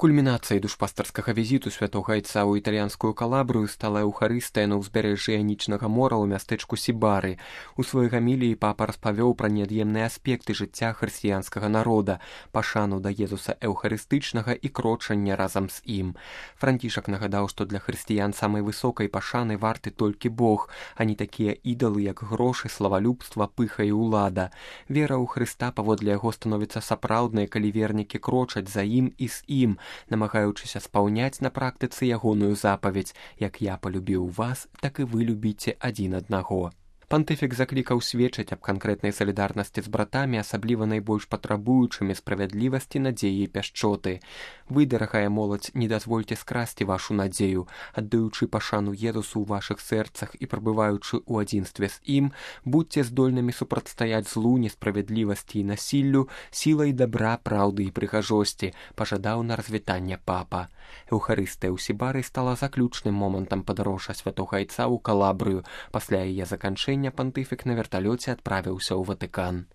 Кульмінацыяй душпастарскага візіту святога айца ў італьянскую Калабрыю стала эўхарыстыя на ўзбярэжжы Іанічнага мора ў мястэчку Сібары. У сваёй гаміліі папа распавёў пра неад'емныя аспекты жыцця хрысціянскага народа, пашану да Езуса эўхарыстычнага і крочання разам з ім. Францішак нагадаў, што для хрысціян самай высокай пашаны варты толькі Бог, а не такія ідалы, як грошы, славалюбства, пыха і ўлада. Вера ў Хрыста паводле яго становіцца сапраўднай, калі вернікі крочаць за ім і з ім, намагаючыся спаўняць на практыцы ягоную запаведь: «Як я полюбіў вас, так і вы любіце адзін аднаго». Пантыфік заклікаў сведчыць аб канкрэтнай салідарнасці з братамі, асабліва найбольш патрабуючымі справядлівасці, надзеі і пяшчоты. Вы, дарагая моладзь, не дазвольце скрасці вашу надзею, аддаючы пашану Езусу ў вашых сэрцах і прабываючы ў адзінстве з ім, будьце здольнымі супрацьстаяць злу, несправядлівасці і насіллю сілай дабра, праўды і прыгажосці, пажадаў на развітанне папа. Эўхарыстыя ў Сібары стала заключным момантам падарожжа святога айца ў Калабрыю. Пасля яе заканчэння пантыфік на верталёце адправіўся ў Ватыкан.